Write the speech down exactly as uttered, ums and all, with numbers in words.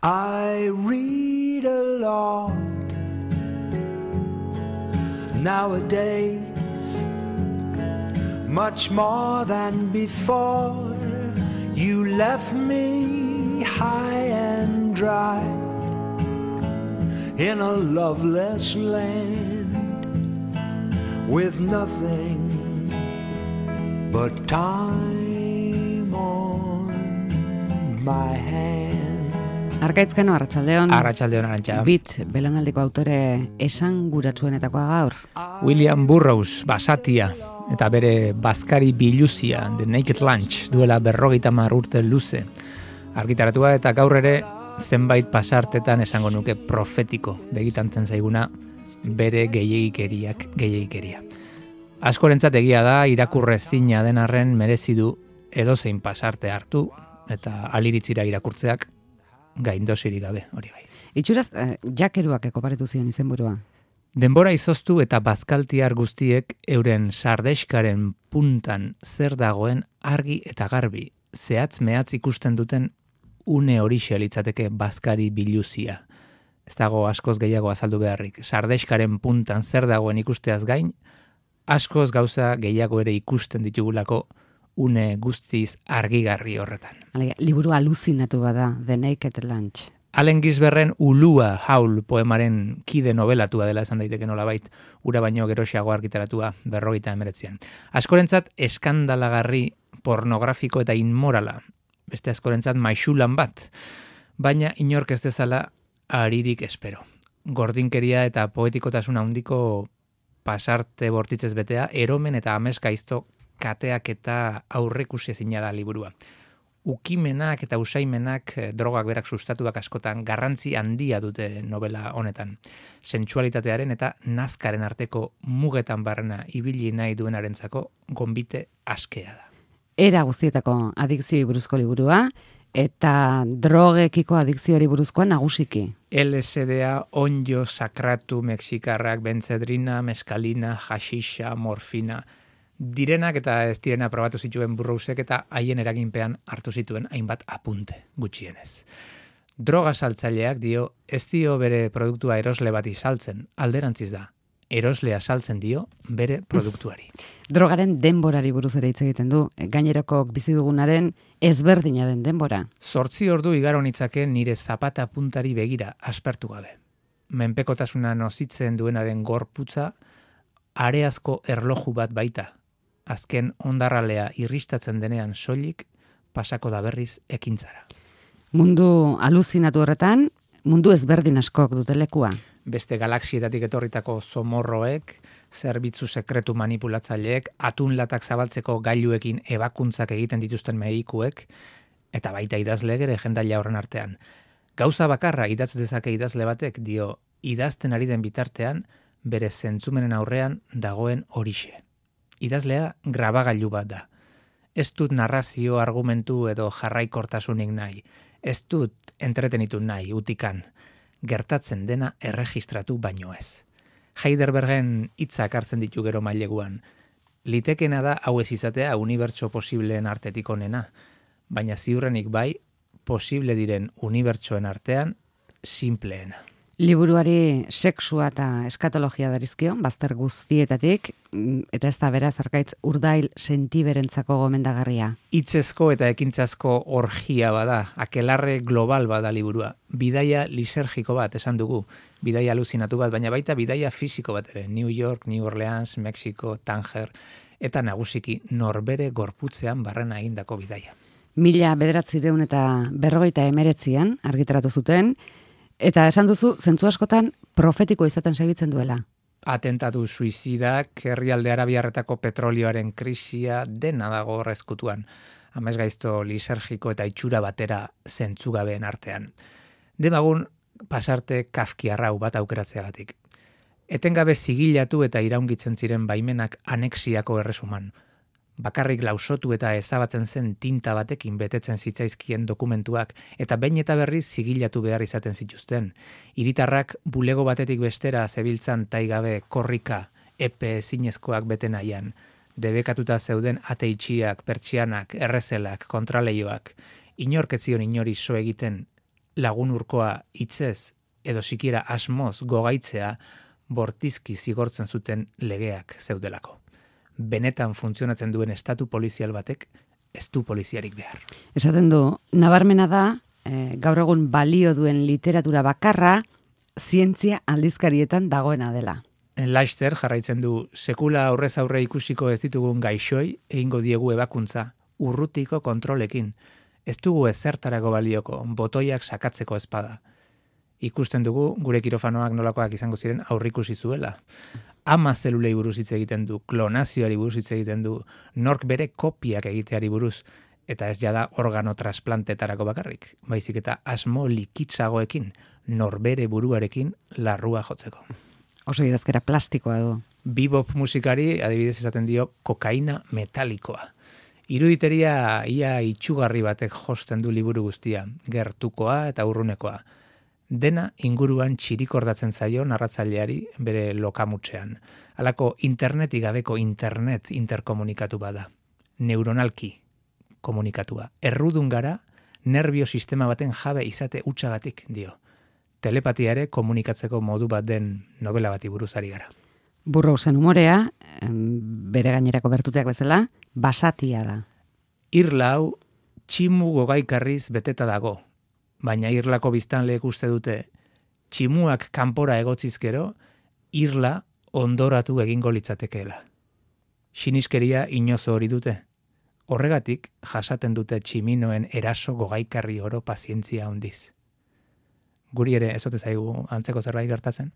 I read a lot nowadays, much more than before. You left me high and dry in a loveless land with nothing but time on my hand. Arkaitzkano, Arratsaldeon. Arratsaldeon, Arantxa. Bit, belaunaldiko autore esanguratsuenetakoa gaur. William Burroughs, Basatia, eta bere bazkari biluzia, The Naked Lunch, duela berrogeita hamar urte luze. Argitaratua eta gaur ere zenbait pasartetan esango nuke profetiko begitantzen zaiguna bere gehiegikeriak gehiegikeria. Askorentzat egia da, irakurrezina den arren merezi du edozein pasarte hartu eta aliritzira irakurtzeak gaindosirik gabe, hori bai. Itxuraz, eh, jakeruak ekoparetu zion izenburua. Denbora izoztu eta bazkaltiar guztiek euren sardexkaren puntan zer dagoen argi eta garbi, zehatz mehatz ikusten duten une horixe litzateke bazkari biluzia. Ez dago askoz gehiago azaldu beharrik. Sardexkaren puntan zer dagoen ikusteaz gain, askoz gauza gehiago ere ikusten ditugulako une guztiz argigarri horretan. Alega, liburu aluzinatu bada, The Naked Lunch. Allen Ginsbergen Ulua Haul poemaren kide nobelatua dela esan daiteke nolabait, ura baino geroxeago argitaratua berrogeita hemeretzian. Askorentzat eskandalagarri, pornografiko eta inmorala, beste askorentzat maixulan bat, baina inork ez dezala aririk espero. Gordinkeria eta poetikotasun handiko pasarte bortitzez betea, eromen eta ameskaizto kateak eta aurrekusi ezina da liburua. Ukimenak eta usaimenak drogak berak sustatuak askotan garrantzi handia dute novela honetan. Sentsualitatearen eta nazkaren arteko mugetan barrena ibili nahi duenarentzako gonbite askea da. Era guztietako adikzioi buruzko liburua eta drogekiko adikzioari buruzkoa nagusiki. L S D-a, onjo, sakratu, mexikarrak, benzedrina, meskalina, hashixa, morfina, direnak eta ez direna probatu zituen Burroughsek eta haien eraginpean hartu zituen hainbat apunte gutxienez. Droga saltzaileak dio, ez dio bere produktua erosle bati saltzen, alderantziz da. Eroslea saltzen dio bere produktuari. Drogaren denborari buruz ere hitz egiten du, gainerokok bizi dugunaren ezberdina den denbora. Zortzi ordu igaro nitzake nire zapata puntari begira aspertu gabe. Menpekotasuna nozitzen duenaren gorputza areazko erloju bat baita. Azken ondarralea irristatzen denean soilik pasako da berriz ekintzara. Mundu aluzinatu horretan, mundu ezberdin askok dute lekua. Beste galaxietatik etorritako zomorroek, zerbitzu sekretu manipulatzaileek, atunlatak zabaltzeko gailuekin ebakuntzak egiten dituzten medikuek, eta baita idazleek ere jendaila horren artean. Gauza bakarra idatz dezake idazle batek dio, idazten ari den bitartean, bere zentzumenen aurrean dagoen horixe. Idazlea grabagailu bat da. Ez dut narrazio, argumentu edo jarraikortasunik nahi. Ez dut entretenitu nahi, utikan. Gertatzen dena erregistratu baino ez. Heidelbergen hitzak hartzen ditu gero maileguan. Litekena da hau ez izatea unibertso posibleen artetik onena, baina ziurrenik bai, posible diren unibertsoen artean, simpleena. Liburuari sexua eta eskatologia darizkio, bazter guztietatik, eta ez da beraz arkaitz urdail sentiberentzako gomendagarria. Hitzezko eta ekintzazko orgia bada, akelarre global bada liburua. Bidaia lisergiko bat esan dugu, bidaia aluzinatu bat, baina baita bidaia fisiko bat ere. New York, New Orleans, Mexico, Tanger, eta nagusiki norbere gorputzean barrena egindako bidaia. Mila bederatzireun eta berrogeita emeretzian argitaratu zuten, eta esan duzu, zentzu askotan profetiko izaten segitzen duela. Atentatu suizidak, herrialde arabiarretako petrolioaren krisia dena dago horrezkutuan. Amesgaizto lisergiko eta itxura batera zentzugabeen artean. Demagun pasarte kafkiarrau bat aukeratzeagatik. Etengabe zigilatu eta iraungitzen ziren baimenak anexiako erresuman. Bakarrik lausotu eta ezabatzen zen tinta batekin betetzen zitzaizkien dokumentuak eta behin eta berriz zigilatu behar izaten zituzten. Hiritarrak bulego batetik bestera zebiltzan taigabe korrika epe ezinezkoak bete nahian. Debekatuta zeuden ate itxiak, pertsianak, errezelak, kontraleioak. Inork ez zion inori so egiten lagun urkoa hitzez edo sikiera asmoz gogaitzea bortizki zigortzen zuten legeak zeudelako. Benetan funtzionatzen duen estatu polizial batek ez du poliziarik behar. Esaten du, nabarmena da, e, gaur egun balio duen literatura bakarra, zientzia aldizkarietan dagoena dela. Laster jarraitzen du, sekula aurrez aurre ikusiko ez ditugun gaixoi, egingo diegu ebakuntza, urrutiko kontrolekin. Ez dugu ezertarako balioko, botoiak sakatzeko espada. Ikusten dugu, gure kirofanoak nolakoak izango ziren aurrikusi zuela. Ama zelulei buruz hitz egiten du, klonazioari buruz hitz egiten du, nork bere kopiak egiteari buruz, eta ez jada organo trasplantetarako bakarrik, baizik eta asmo likitzagoekin, norbere buruarekin larrua jotzeko. Oso idazkera plastikoa du. Bebop musikari adibidez esaten dio kokaina metalikoa. Iruditeria ia itxugarri batek josten du liburu guztia, gertukoa eta urrunekoa. Dena inguruan txirikordatzen zaio narratzaileari bere lokamutsean. Halako internetik gabeko internet interkomunikatu bada. Neuronalki komunikatua. Errudun gara, nervio sistema baten jabe izate hutsagatik dio. Telepatiare komunikatzeko modu bat den novela bati buruzari gara. Burroughsen umorea, bere gainerako bertuteak bezala, basatia da. Irla hau tximu gogaikarriz beteta dago, baina irlako biztanleek uste dute tximuak kanpora egotzizkero, irla ondoratu egingo litzatekeela. Siniskeria inozo hori dute. Horregatik jasaten dute tximinoen eraso gogaikarri oro pazientzia handiz. Guri ere ez ote zaigu antzeko zerbait gertatzen?